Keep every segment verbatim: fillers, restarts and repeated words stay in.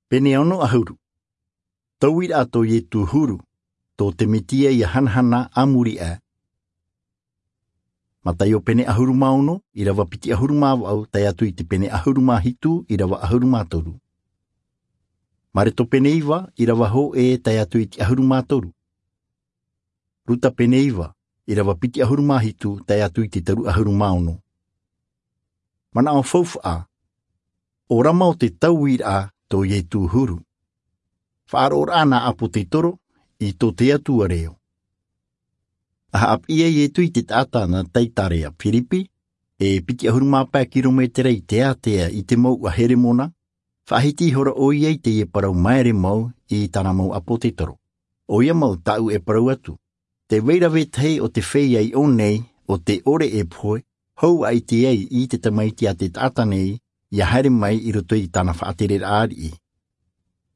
Pene ono ʻahuru. Tauiraʻa tō Ietu huru, tō te Metia ia hanahana a muri aʻe. Mataio pene ʻahuru mā ono, ʻirava piti ʻahuru mā vaʻu, tae atu i te pene ʻahuru mā hitu, ʻirava ʻahuru mā toru. Mareto pene iva, ʻirava hōʻē, tae atu i te ʻahuru mā toru. Ruta pene iva, ʻirava piti ʻahuru mā hitu, tae atu i te toru ʻahuru mā ono. Manaʻo faufaʻa, ʻo Rama ʻo te tauiraʻa tō Ietu huru. Faʻaroʻoraʻa nā ʻApotetoro i tō te Atua reo. ʻA haʻapiʻi ai Ietu i te taʻata nā Taitarea Firipi, e piti ʻahuru mā pae kirometera i te ātea i te mouʻa Heremona, faʻahiti ihora ʻoia i teie parau maere mau i tāna mau ʻApotetoro. ʻOia mau tāʻu e parau atu, tē vai ra vetahi ʻo te feiā i ʻō nei, ʻo tē ʻore e pohe, hou ʻaita ai i te Tamaiti a te taʻata nei, ia haere mai i roto i tāna faʻatereraʻa ariʻi.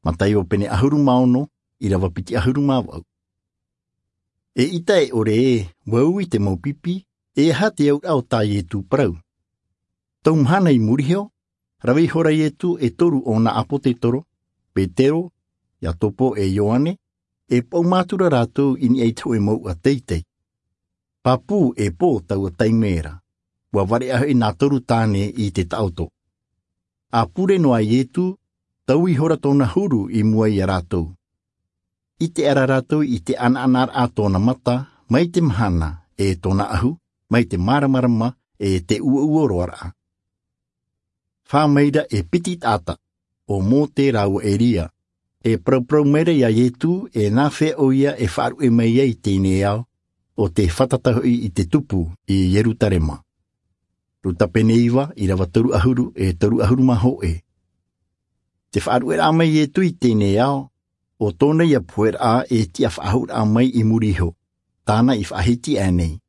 Mataio pene ʻahuru mā ono, ʻirava piti ʻahuru mā vaʻu. Eʻita e ʻore ē, ʻua ui te mau pipi, e aha te auraʻa o tā Ietu parau? Tau mahana i muri iho, rave ihora Ietu e toru o nā ʻApotetoro, Petero, Iakobo e Ioane, e paʻuma atu ra rātou i niʻa i te hōʻē mouʻa teitei. Pāpū e pō taua taime ra, ʻua vareʻa hoʻi nā toru tāne i te taʻoto. ʻA pure noa Ietu, tau ihora tōna huru i mua ia rātou. ʻIte ʻara rātou i te ʻanaʻanaraʻa tōna mata, mai te mahana, e tōna ʻahu, mai te māramarama, e te ʻuoʻuo roaraʻa. Fā mai ra e piti taʻata, ʻo Mōte rāua Eria, e parauparau mai ra ia Ietu, e nāfea ʻoia e faʻaruʻe mai ai i teie nei ao, ʻo tē fātata hoʻi i te tupu i Ierutarema. Ruta pene iva, ʻirava toru ʻahuru, e toru ʻahuru mā hōʻē. Te faʻaruʻeraʻa mai Ietu i teie nei ao, ʻo tōna ia poheraʻa e tiʻa faʻahou raʻa mai i muri iho, tāna i faʻahiti aʻe nei.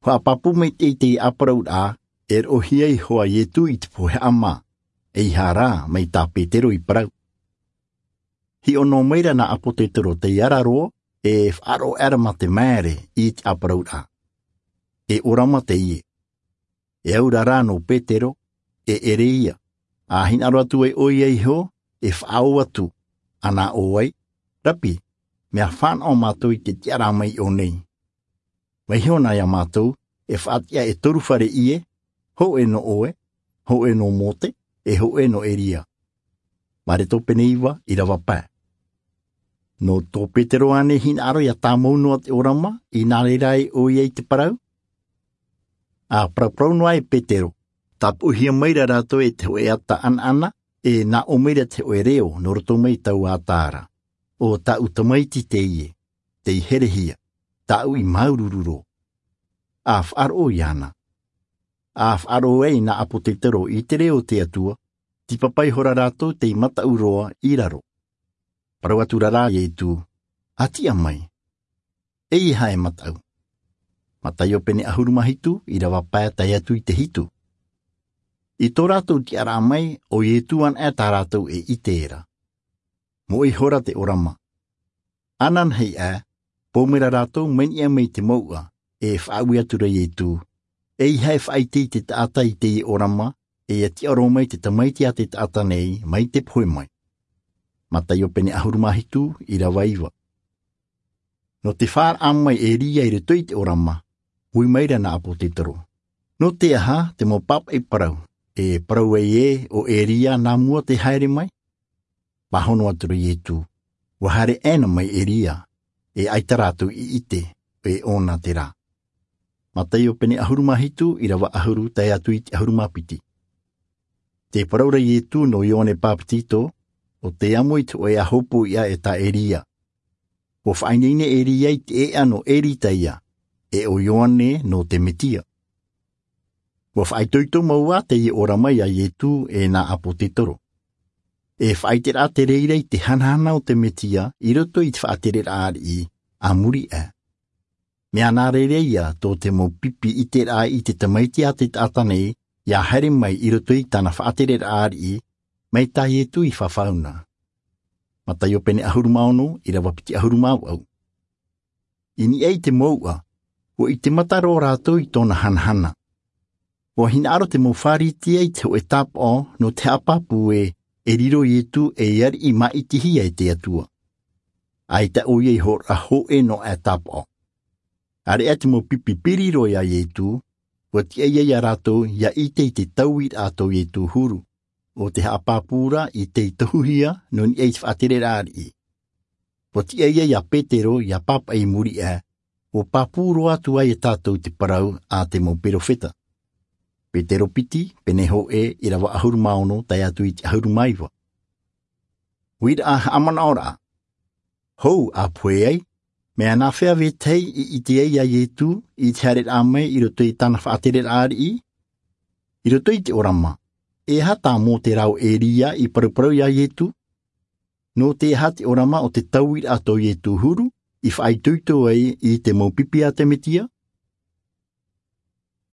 Haʻapāpū maitaʻi i te ʻāparauraʻa, e roʻohia iho ā Ietu i te pohe haʻamā, ʻeiaha rā mai tā Petero i parau. Hiʻo noa mai ra nā ʻApotetoro tei ara roa, e faʻaroʻo aʻera mā te maere i te ʻāparauraʻa. E ʻo Rama teie. E aura rā nō Petero, e ʻere ïa, ʻa hinaʻaro atu ai ʻoia iho, e faʻaō atu, ʻa nā ʻō ai, Rapi, mea fānaʻo mātou i te tiʻaraʻa mai i ʻō nei. Vaiiho na ia mātou, e faʻatiʻa e toru fare ʻie, hōʻē nō ʻoe, hōʻē nō Mōte, e hōʻē nō Eria. Mareto pene iva, ʻirava pae. Nō tō Petero ānei hinaʻaro ʻia tāmau noa te ʻōrama, i nā reira ai ʻoia i te parau? ʻA paraparau noa e Petero, tāpoʻihia mai ra rātou e te hōʻē ata ʻanaʻana, e nā ʻō mai ra te hōʻē reo nō roto mai taua ata ra. ʻO tāʻu tamaiti teie, tei herehia, tāʻu i māuruuru roa. ʻA faʻaroʻo iāna. ʻA faʻaroʻo ai nā ʻApotetoro i te reo o te Atua, tīpapa ihora rātou tei mataʻu roa i raro. Parau atu ra rā Ietu, ʻA tiʻa mai. ʻEiaha e mataʻu. Mataio pene ʻahuru mā hitu, ʻirava pae tae atu i te hitu. I tō rātou tiʻaraʻa mai, ʻo Ietu anaʻe tā rātou e ʻite ra. Moʻe ihora te ʻōrama. Ananahi aʻe, pou mai ra rātou mai niʻa mai te mouʻa, e faʻaui atu ra Ietu, ʻEiaha e faʻaʻite i te taʻata i teie ʻōrama, e ʻia tiʻa roa mai te tamaiti a te taʻata nei, mai te pohe mai. Mataio pene ʻahuru mā hitu, ʻirava iva. Nō te fāraʻa mai Eria i roto i te ʻōrama, ui mai ra nā ʻApotetoro. Nō te aha te mau pāpaʻi parau, e parau ai ē ʻo Eria nā mua tē haere mai? Pāhono atu ra Ietu, ʻUa haere ʻē na mai Eria, e ʻaita rātou i ʻite, e ʻōna terā. Mataio pene ʻahuru mā hitu, ʻirava ʻahuru, tae atu i te ʻahuru mā piti. Tē parau ra Ietu nō Ioane Bāpetizo, ʻo tē amo i te hōʻē ʻāhopoiʻa e tā Eria. ʻUa faʻaineine Eria i te ʻēʻa nō Eritaia, e ʻo Ioane nō te Metia. ʻUa faʻaitoito mau ā teie ʻōrama ia Ietu e nā ʻApotetoro. E faʻaʻiteraʻa te reira i te hanahana o te Metia i roto i te faʻatereraʻa ariʻi, a muri aʻe. Mea nā reira ïa tō te mau pipi ʻiteraʻa i te tamaiti a te taʻata nei, ʻia haere mai i roto i tāna faʻatereraʻa ariʻi, mai tā Ietu i fafau na. Mataio pene ʻahuru mā ono, ʻirava piti ʻahuru mā vaʻu. I niʻa i te mouʻa, ʻua ʻite mata roa rātou i tōna hanahana. ʻUa hinaʻaro te mau Pharisea i te hōʻē tāpaʻo nō te haʻapāpū ē, e riro iesu ei ariʻi māʻitihia e te atua. ʻAita ʻoia i hōroʻa hōʻē nō ʻātapaʻo. Area te mau pipi piri roa iā iesu. Ua tiʻa ia rātou ia ʻite i te tauiraʻa tō iesu huru, o te haʻapāpū ra i te tohuhia nō niʻa i te faʻatereraʻa ariʻi. Ua tiʻa ia petero ia pāpaʻi i muri aʻe, ua pāpū roa atu ai e tātou te parau a te mau perofeta. Petero piti, pene hōʻē, ʻirava ʻahuru mā ono tae atu i te ʻahuru mā iva. Uiraʻa haʻamanaʻoraʻa. Hou a pohe ai, mea nā hea vetahi i ʻite ai iā iesu i te haereraʻa mai i roto i tāna faʻatereraʻa ariʻi? I roto i te ʻōrama, e aha tā mōse rāua o ʻēria i paruparu iā iesu? Nō te aha te ʻōrama o te tauiraʻa tō iesu huru i faʻaitoito ai i te mau pipi a te mesia?